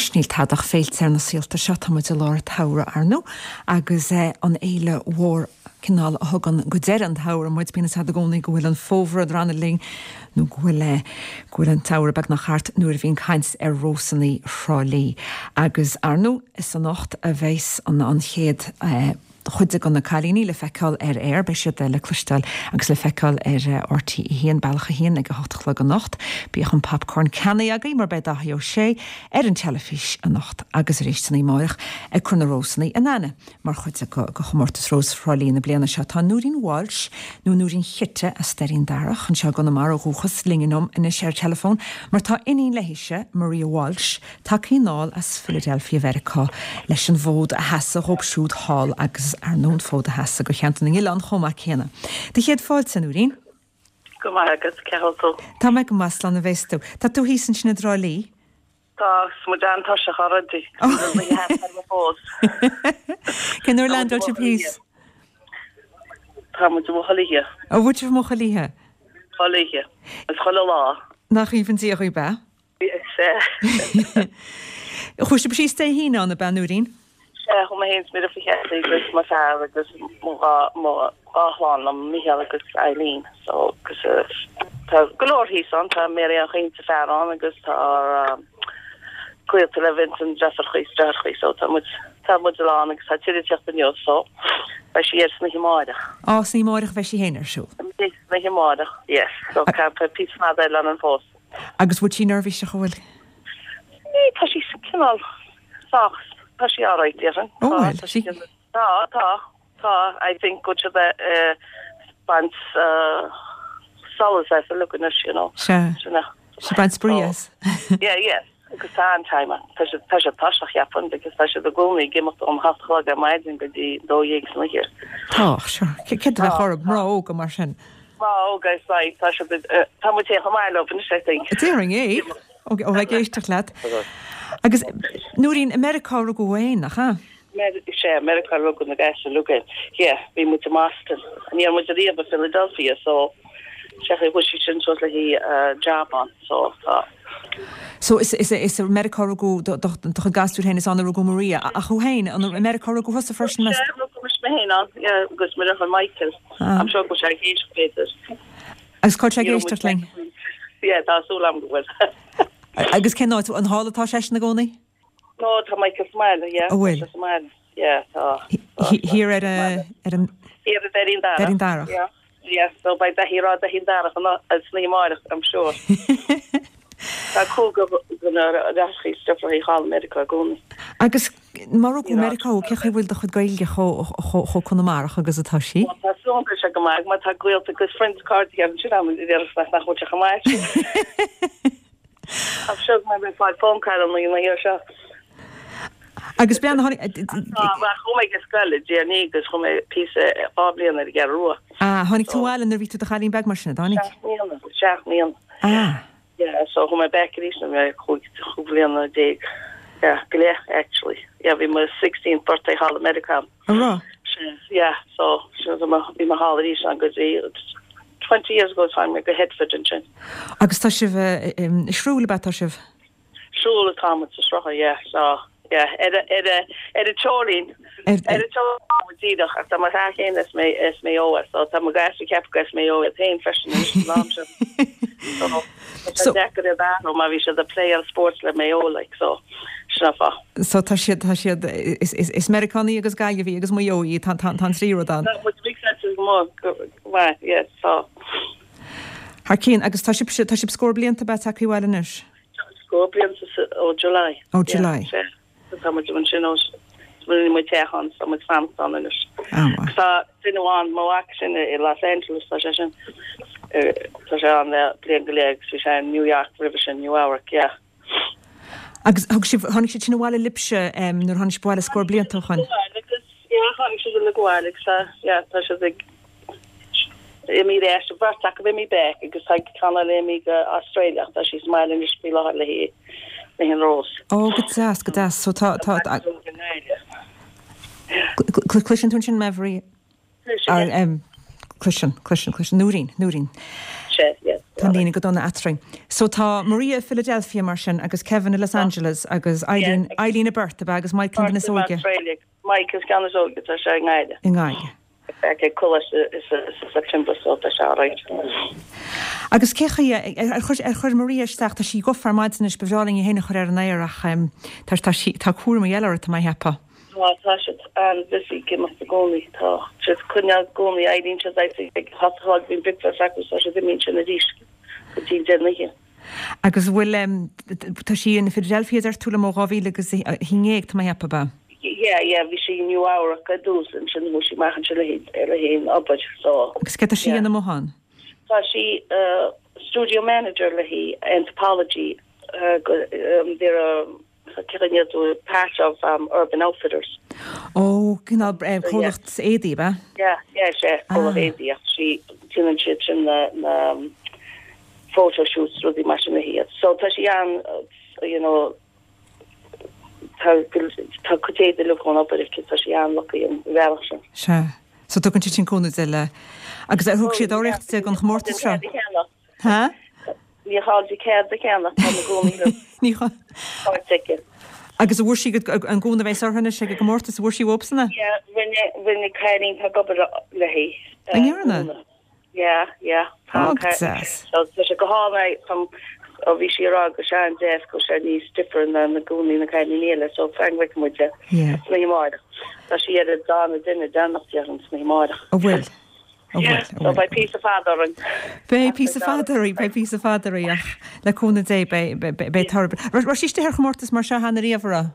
Anois níl tada ach féilte ar na saolta seo, tá muid i lár an tsamhraidh, ar ndú, agus an fhéile mhór cineál a thugann go deireadh an tsamhraidh muid, bíonn a fhios a'd i gcónaí go bhfuil an fómhar ag drannadh linn nó go bhfuil go bhfuil an tsamhradh beagnach thart nuair a bhíonn caint ar Rósannaí Thrá Lí. Agus ar ndú, is anocht a bheas an an chéad chuid de na cailíní le feiceáil ar aer. Beidh siad le cloisteáil agus le feiceáil ar RTÉ 1, Bealach 1 ag a hocht a chlog anocht. Bíodh an popcorn ceannaithe agaibh mar beidh Dáithí Ó Sé ar an teilifís anocht agus arís san oíche amáireach ag cur na Rósannaí in aithne mar chuid de chomórtas Rós Thrá Lí na bliana seo. Tá Nóirín Walsh, nó Nóirín Chite as Doirín Darach anseo i gConamara ó dhúchas, linn anois ar teileafón mar tá iníon léithise, Maria Walsh, Tagtha anall as Philadelphia Mheiriceá leis an bhfód a sheasamh dhóibh siúd thall agus ar ndóigh an fód a sheasamh do Cheantar na nOileán chomh maith céanna. Do chéad fáilte, a Nóirín. Go maith agat, cén chaoi a bhfuil tú? Tá mé go maith, slán a bheas tú. Tá tú thíos ansin i dTrá Lí? Tá, 's muid an-tuirseach already. Fós. Cén uair a leaindeáil sibh thíos? Tá muid amuigh chuile oíche. Ó, bhfuil sibh amuigh chuile oíche? Chuile oíche. Agus chuile lá. Nach aoibhinn Dia dhaoibh, ab ea? Sea. Chuaigh sibh síos Dé hAoine ann, ab ea, Nóirín? Sea, chuaigh mé féin is mo dheirfiúr Kathy agus mo fear agus mo dhá mo dhá chlann liom, Micheál agus Eileen. So, agus tá go leor thíos ann, tá Mary Ann Chaoin is a fear ann agus tá gaolta le Vincent deirfiúrachaí is deartháireachaí so tá muid tá muid a lán agus tá tuilleadh ag teacht inniu so beidh sí ar san oíche amáireach. Á, san oíche amáireach a bheidh sí féin ar siúl. San oíche amáireach, yes. So tá píosa fada eile ann fós. Agus bhfuil sí neirbhíseach, an bhfuil? Ní, tá sí cineál sách, tá sí alright, déarfainn. Ó, bhfuil? Tá sí, tá, tá, tá, I think go bhfuil siad ag baint solas as uilig anois, you know. Sea. Sin é. Sea, baint spraoi as. Yeah, yeah. Agus tá an-time ann. Tá siad, tá siad tuirseach, cheapfainn, because tá siad i gcónaí ag imeacht ón hocht a chlog ar maidin go dtí 12 san oíche. Tá, sure. Céard a bheadh orthu, mná óga mar sin? Mná óga is like, tá siad, tá muid féin chomh maith leo anois, I think. Déarfainn é, ó bheith ag éisteacht leat. Agus, Nóirín, i Meiriceá a rugadh thú féin, nach ea? Sea, Meiriceá a rugadh na gasúir uilig. Yeah, bhí muid i mBoston. Ní raibh muid ariamh i Philadelphia, so sea, chuaigh sí sin suas le haghaidh job ann, so tá. So is is is i Meiriceá a rugadh do do do chuid gasúr féin, is ann a rugadh Maria. Ach thú féin, an i Meiriceá a rugadh thusa freisin, meas? Sea, rugadh mise mé féin ann, yeah, agus mo dheartháir Michael. I'm sure go bhfuil sé ag éisteacht b'fhéidir. Agus cá bhfuil sé ag éisteacht linn? Yeah, tá súil agam go bhfuil. Agus cén áit, an thall atá seisean i gcónaí? No, tá Michael sa mbaile, yeah. An bhfuil? Tá sé sa mbaile, yeah, tá. Thiar ar ar an. Thiar ar Doirín Darach. Doirín Darach. Yeah, yeah, so beidh Daithí ag rá Doirín Darach san oíche amárach, I'm sure. Tá cúigear de na deartháireacha is deirfiúracha thall i Meiriceá i gcónaí. Agus má rugadh i Meiriceá thú, cén chaoi a bhfuil do chuid Gaeilge chomh Conamarach agus atá sí? Bhuel, tá súil agam go bhfuil sé go maith, mar tá gaolta agus friends cairde ansin agam a déarfas nach bhfuil sé chomh maith sin. I'm sure go mbeidh mé ag fáil phone call an oíche seo. Agus bean a tháinig. Tá, mar chuaigh mé ag scoil i dTír an Fhia agus chuaigh mé píosa 2 bhliain ar an gCeathrú Rua. Ah, tháinig tú abhaile nuair a bhí tú i do chailín beag mar sin, a dtáinig? 7 mbliana, 7 mbliana. Ah. Yeah, so chuaigh mé back arís nuair a bhí mé 15 bhliana. Yeah, go leith actually. Yeah, bhí mo 16th birthday thall i Meiriceá. An raibh? Yeah, so sin bhí mé thall arís an go dtí 20 years ago tháinig mé go Headford ansin. Agus tá sibh i Shrule ab ea tá sibh? Shrule atá muid sa Sruth, yeah, so yeah, ar a ar a ar an teorainn. Ar an teorainn atá muid díreach ach tá mo fear féin as Maigh as Maigh Eo so tá mo ghasúir ag ceapadh gur as Maigh Eo iad féin freisin anois san am seo. So tá sé deacair iad a athrú mar bhí siad ag play-áil sports le Maigh Eo like so sin an fáth. So tá siad tá siad is is is Meiriceánaigh agus Gaillimhigh agus Maigh Eo tá tá tá an trí rud ann. Tá muid mixed go maith go maith yes tá. Thar cionn agus tá sibh tá sibh scór blianta ab ea tagtha abhaile anois? Scór blianta ó July. Ó July. Yeah, sea. Tá muid ansin ó rinne muid teach ann, tá muid fanacht ann anois. Ah, maith. Tá duine amháin, mo mhac sin i Los Angeles, tá sé sin, tá sé ann le bliain go leith agus bhí sé in New York roimhe sin, New Eabhrac, yeah. Agus thug sibh, tháinig siad sin abhaile libhse nuair a tháinig sibh abhaile scór blianta ó shoin? Agus, yeah, tháinig siad uilig abhaile agus tá, yeah, tá siad ag imithe ar ais, beirt acu imithe back agus tá ceann eile imithe go Australia ach tá sí sa mbaile anois faoi láthair le haghaidh an Rós. Ó, go deas, go deas. So tá, tá, cloiseann tú ansin mé, Mharia? Cloiseann, cloiseann, cloiseann. Nóirín, Nóirín. Sea, yes. Tá an líne go dona eatrainn. So tá Maria i Philadelphia mar sin agus Kevin i Los Angeles agus Eileen, Eileen i bPerth, ab ea, agus Michael an duine is óige. Michael an ceann is óige, tá sé i nGaillimh. I nGaillimh. Beidh ag coláiste sa September so tá sé alright. Agus cé chaoi ar chuir, ar chuir Maria isteach, tá sí gafa ar maidin anois, ba bhreá linn í féin a chur ar an aer ach tá, tá sí, tá cúramaí eile uirthi, tá mé a cheapadh. Tá, tá siad an-busy ag imeacht i gcónaí, tá siad ag coinneáil i gcónaí, éiríonn siad ag a hocht a chlog, bíonn bricfeasta acu so tá siad imithe ansin arís go dtí an deireadh na hoíche. Agus an bhfuil, tá sí in Philadelphia deir tú liom ó 2011 tá mé a cheapadh, ab ea? Yeah, yeah, bhí sí i Nua Eabhrac ar dtús ansin chuaigh sí amach ansin le haghaidh an obair so. Agus céard tá sí a dhéanamh amuigh ann? Tá sí studio manager le haghaidh Anthropologie, they're a Cén tú part of Urban Outfitters. Ó, cineál comhlacht éadaí, ab ea? Yeah, yeah, sea, comhlacht éadaí ach sí, déanann siad sin na, na photo shoots, rudaí mar sin le hiad. So tá sí an, you know, tá, tá cuid éadaí uilig ón obair aici, tá sí an-lucky an bhealach sin. Sea. So tugann siad sin cúnamh di le, agus ar thug siad urraíocht di don chomórtas seo? Ha? Ní chall di cead a cheannach tá na gúnaí Ní chall. Áit aici. Agus an bhfuair sí an gúna a bheas uirthi anois ag an gcomórtas, an bhfuair sí uathubsan é? Yeah, rinne, rinne cailín atá ag obair léi. An ndearna? Yeah, yeah. Tá go deas. So tá sé go hálainn é, ó bhí sí ag rá go sé an-deas go sé níos different ná na gúnaí na cailíní eile, so fan go bhfeicfidh muid é. Yeah. San oíche amárach. Tá sí ar an darna duine deireanach déarfainn san oíche amárach. An bhfuil? So beidh píosa fada orainn. Beidh píosa fada orainn, beidh píosa fada orainn ach le cúnamh Dé beidh toradh. Raibh sí istigh ar chomórtas mar seo cheana riamh, an raibh?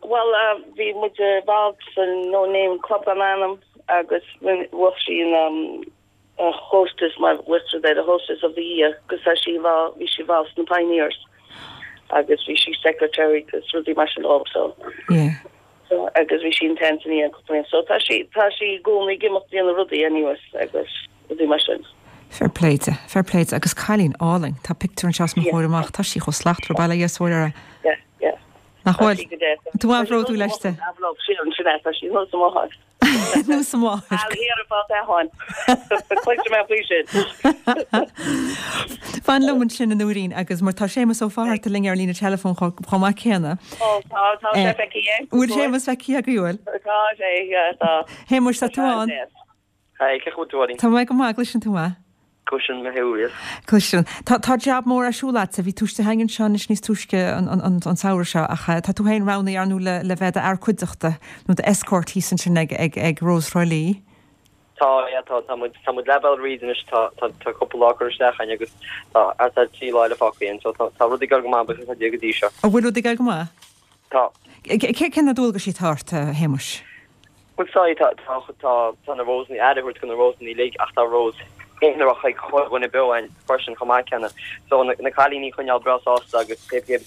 Bhuel, bhí muid involved sa No Name Club gan Ainm agus bhuaigh sí an hostess mar bhuaigh siad ar hostess of the year agus tá sí involved, bhí sí involved sna Pioneers agus bhí sí secretary agus rudaí mar sin dóibh so. Yeah. So agus bhí sí in Tanzania cúpla bliain. So tá sí, tá sí i gcónaí ag imeacht déanamh rudaí anyways agus rudaí mar sin. Fair play di, fair play di. Agus cailín álainn. Tá pictiúr anseo os mo chomhair amach. Tá sí chomh slachtmhar, bail ó Dhia is a Mhuire uirthi. Yeah, yeah. Nach bhfuil? Tá sí go deas. Tú an-bhródúil aisti. Sí ansin é, tá sí thuas amuigh thall. Thuas amuigh. I'll hear about that one. Cloisfidh mé faoi sin. Fan liom ansin a Nóirín agus mar tá Séamus Ó Fátharta linn ar líne teileafóin chomh maith céanna. Ó tá, tá sé feicthe againn. Bhfuil Séamus feicthe agaibh, bhfuil? Tá sé, yeah, tá. Shéamuis, tá tú ann? Hi, cén chaoi a bhfuil tú, a Mháirín? Tá mé go maith, gcloiseann tú mé? Cloiseann mé thú, yes. Cloiseann. Tá, tá jab mór ar siúl agatsa, bhí tú istigh againn anseo anois níos túisce an, an, an, an samhradh seo ach tá tú féin roghnaithe ar ndóigh le, le bheith d'fhear cuideachta nó d'escort thíos ansin ag, ag, ag Rose Thrá Lí. Tá, yeah, tá, tá muid, tá muid leath bealaigh thríd anois, tá, tá, tá cúpla lá curtha isteach againn agus tá thart ar 3 lá eile fágtha againn, so tá, tá rudaí ag dul go maith, buíochas le Dia go dtí seo. An bhfuil rudaí ag dul go maith? Tá. Cé, cé na dualgaisí atá ort, a Shéamuis? Bhuel, sorry, tá, tá, tá, tá na Rosanna, aire a thabhairt do na Rosanna uilig ach tá Rose aonarach ag chuile dhuine beo ann freisin chomh maith céanna. So na, na cailíní a choinneáil breá sásta agus cé, cé,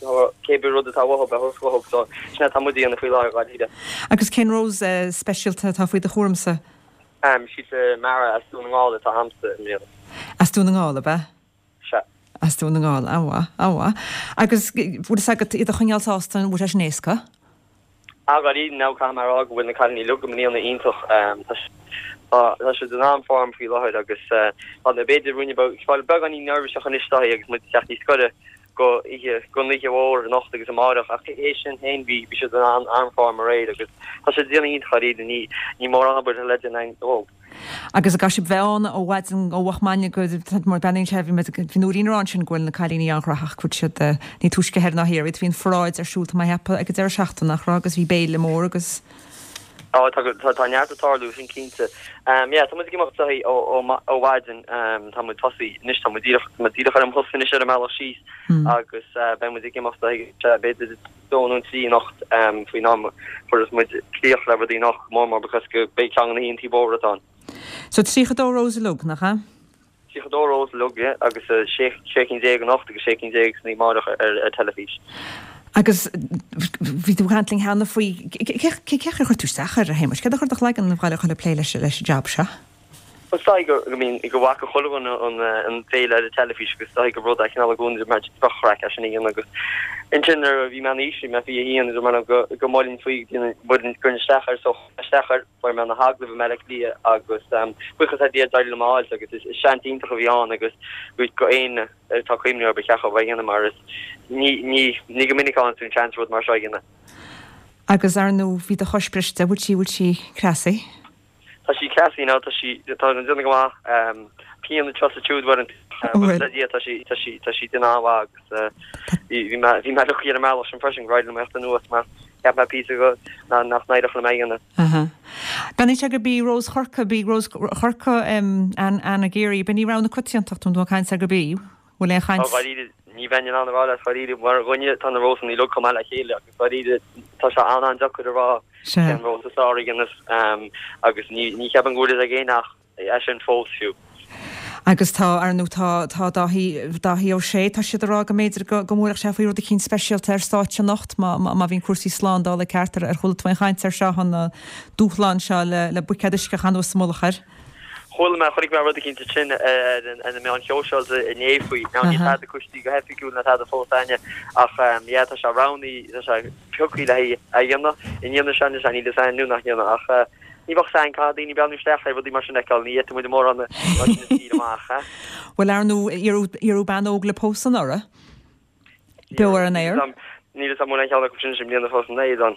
cé bith rud atá uathu a thabhairt dhóibh. So sin é atá muid a dhéanamh faoi láthair, dháiríre. Agus cén Rose speisialta atá faoi do chúramsa? Ehm, sí Mara as Dún na nGall atá a'msa i mbliana. As Dún na nGall, ab ea? Sea. As Dún na nGall, an-mhaith, an-mhaith. Agus bhfuil fhios agat iad a choinneáil sásta, an bhfuil sé sin éasca? Ah, dháiríre, now caithfidh mé a rá go bhfuil na cailíní uilig i mbliana iontach. Tá tá siad in an-form faoi láthair agus tá na b'fhéidir ruainne beag fáil beagáinín neirbhíseach anois daithí agus muid ag teacht níos gaire go oíche gon oíche mhór anocht agus amáireach ach théis sin féin bhí bhí siad in an-form aréir agus tá siad ag déanamh iontach dháiríre ní ní mórán obair le déanamh againn dóibh. Agus an gcaithfidh sibh bheith ann ó mhaidin ó mhoch maidne go mar breathnaíonn sé bhí muid bhí Nóirín ag rá ansin go bhfuil na cailíní an-ghnóthach go bhfuil siad ní túisce thoir ná thiar iad bhí an pharáid ar siúl tá mé a cheapadh ag an deireadh seachtaine nach raibh agus bhí béile mór agus Á tá tá tá neart ag tarlú sin cinnte. Yeah tá muid ag imeacht ó ó ó mhaidin tá muid tosaí anois tá muid díreach tá muid díreach ar an mbus anois ar an mbealach síos agus beidh muid ag imeacht b'fhéidir dó nó trí anocht faoin am a chuirfeas muid críoch le rudaí anocht, go mór mór because go beidh ceann de na hoícheantaí mhóra atá ann. So 32 Rose uilig, nach ea? 32 Rose uilig, yeah, agus 16 cinn anocht agus 16 cinn san oíche amárach ar teilifís. Agus bhí tú ag caint linn cheana faoi, cé chaoi ar chuir tú isteach air, a Shéamais? Céard a chuir i do chloigeann a ghabháil a dhul ag plé leis an jab seo? Is dóigh go mbíonn, go bhfaca chuile dhuine an féile ar an teilifís agus is dóigh gur rud é cineál i gcónaí mar bheadh craic as sin a dhéanamh agus ansin nuair a bhí mé in aois, bhí mé 21, dúirt mé liom go go molfainn faoi go gcuirfinn isteach air so chuir mé isteach air, fuair mé na hagallaimh i mBaile Átha Cliath agus buíochas le Dia d'éirigh liom é a fháilt agus is seans iontach a bhí ann agus go éinne atá ag cuimhneamh air ba cheart dóibh é a dhéanamh mar is ní ní ní go minic a fhaigheann tú an seans rud mar seo a dhéanamh. Agus ar ndóigh bhí do chois briste, bhfuil sí, bhfuil sí cneasaithe? Tá sí cneasaithe now, tá sí, tá an déanamh go maith, pian anseo is ansiúd uaireanta, buíochas le Dia tá sí, tá sí, tá sí déanamh an-mhaith agus bhí mé, bhí mé lucky ar an mbealach sin freisin gur éirigh liom a theacht anuas mar cheap mé píosa go, nach n-éireodh liom é a dhéanamh. Aha. Beannaíonn sé gurb í Rós Chorca, b'í Rós Chorca Anna Geary, b'in í rogha na coitiantachta, tá tú ag caint ar gurb í, bhfuil aon chaint? Tá dháiríre, ní bheinn in ann a rá leat dháiríre, mar dhuine tá na rósanna uilig chomh maith le chéile agus dháiríre tá sé an-an-deacair a rá cén rós is fearr a dhéanamh agus ní cheapaim go bhfuil fhios ag éinne ach é sin fós fiú. Agus tá, ar ndóigh, tá, tá Dáithí, Dáithí Ó Sé, tá siad ag rá go mb'fhéidir go, go mbuailfeadh sé faoi rud eicínt speisialta ar stáitse anocht má, má, má bhíonn cúrsaí slándála ceart. Ar, ar chuala tú aon chaint air seo, an dúshlán seo le, le buicéad uisce a chaitheamh anuas sa mullach air? Chuala mé, chonaic mé rud eicínt ansin ar na meáin shóisialta inné faoi. Now níl tada coisithe go hoifigiúil ná tada fós againne ach yeah tá sé roghnaithe, tá sé pioctha le haghaidh a dhéanamh. An ndéanfaidh sé anois, níl fhios againn nó nach ndéanfaidh ach ní bheadh fhios againn, caithfidh daoine breathnú isteach le rudaí mar sin a fheiceáil, ní fhéadfaidh muid mórán mar sin a scaoileadh amach, eh? Bhuel ar ndóigh, iarradh bean óg le pósadh anuraidh. Beo ar an aer. Níl fhios agam an bhfuil aon cheann acu sin i mbliana fós an éad ann.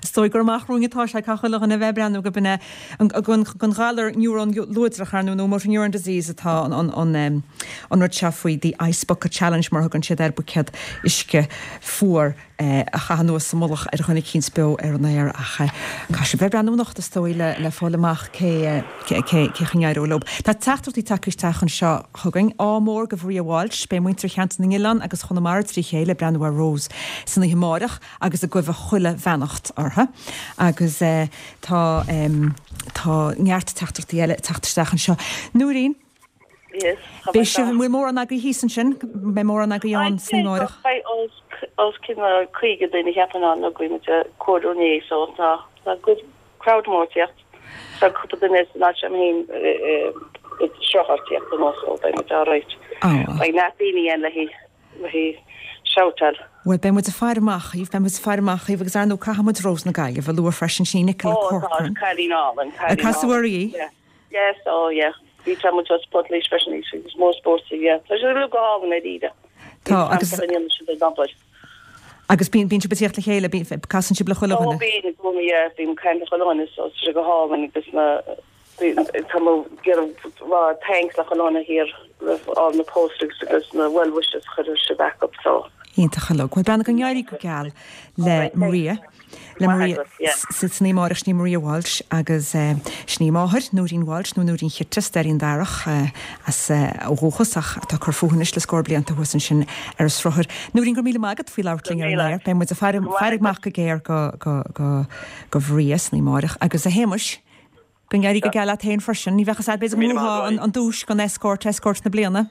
Is dóigh gur amach romhainn atá sé, caithfidh chuile dhuine a bheith ag breathnú go b'in é an galar niúrón luadrach ar ndóigh nó motor neuron disease atá an rud seo faoi the ice bucket challenge mar a thugann siad air, buicéad uisce fuar a chaitheamh anuas sa mullach ar dhuine eicínt beo ar an aer ach caithfidh sibh bheith ag breathnú anocht is dóigh le fáil amach cé cé chaoi a n-éireoidh leo. Tá teachtaireachtaí tagtha isteach anseo chugainn. Ádh mór go Mharia Walsh. Beidh muintir Cheantar na nOileán agus Chonamara trí chéile ag breathnú ar Rose san oíche amáireach agus ag guibhe chuile bheannacht orthu. Agus tá tá neart teachtaireachtaí eile ag teacht isteach anseo. Nóirín, Yes, tá mé beidh sibh, an bhfuil mórán agaibh thíos ansin? Beidh mórán agaibh ann san oíche amáireach? Beidh os cionn 50 duine cheapfainn ann, bhí muid ag comhaireamh inné so tá tá good crowd mór ag tíocht. Tá cúpla duine san áit agam féin i sruth ag tíocht anuas so beidh muid alright. Beidh neart daoine ann le haghaidh shoutáil. Bhuel, beidh muid ag faire amach dhaoibh, beidh muid ag faire amach dhaoibh agus ar ndóigh caithfidh muid Rós na Gaillimhe a lua freisin, sin í Nicola Ó tá, Corcoran. cailín álainn, cailín álainn. Casadh uirthi í? Yeah. Yes, oh yeah. Bhí tá muid as Portlaoise freisin í, is mór spóirt í, yeah. Tá siad uilig go hálainn ar Éire. Tá, agus. Tá an siad ag obair. Agus bíonn, bíonn sibh ag tíocht le chéile, bíonn, casann sibh le chuile Ó dhuine. bíonn i gcónaí, yeah, bím ag caint le chuile dhuine so tá sé go hálainn agus na, tá mé ag iarraidh rá thanks le chuile dhuine thiar roimh all na posters agus na well wishes a chuir siad back up so. Iontach uilig. Bhuel, beannacht go n-éirí go geal le Maria. Le Maria san oíche amáireach sin í Maria Walsh agus sin í a máthair, Nóirín Walsh nó Nóirín Chit as Doirín Darach as ó dhúchas ach atá ag cur fúithi anois le scór blianta thuas ansin ar an Sruthar. Nóirín, go raibh míle maith agat faoi labhairt linn ar an aer. Beidh muid ag faire faire amach go géar go go go go Mharia san oíche amáireach agus a Shéamais, go n-éirí go geal leat féin freisin. Ní bheadh fhios agat b'fhéidir go mbuafá an duais don escort, escort na bliana.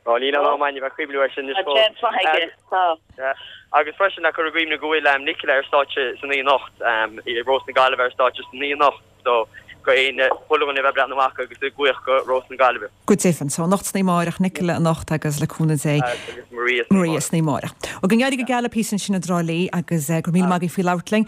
Ó, níl ann am againn a bheith ag cuimhniú air sin anois fós. Tá seans maith aige, tá. Agus freisin, ag cur i gcuimhne go bhfuil Nicola ar stáitse san oíche anocht, i Rós na Gaillimhe ar stáitse san oíche anocht, so go éinne, chuile dhuine a bheith ag breathnú amach agus ag guíoch go Rós na Gaillimhe. Go deimhin. So anocht san oíche amáireach, Nicola anocht agus le cúnamh Dé, Agus Maria san Maria san oíche amáireach. Ó, go n-éirí go geal libh thíos ansin i dTrá Lí agus go raibh míle maith agaibh faoi labhairt linn.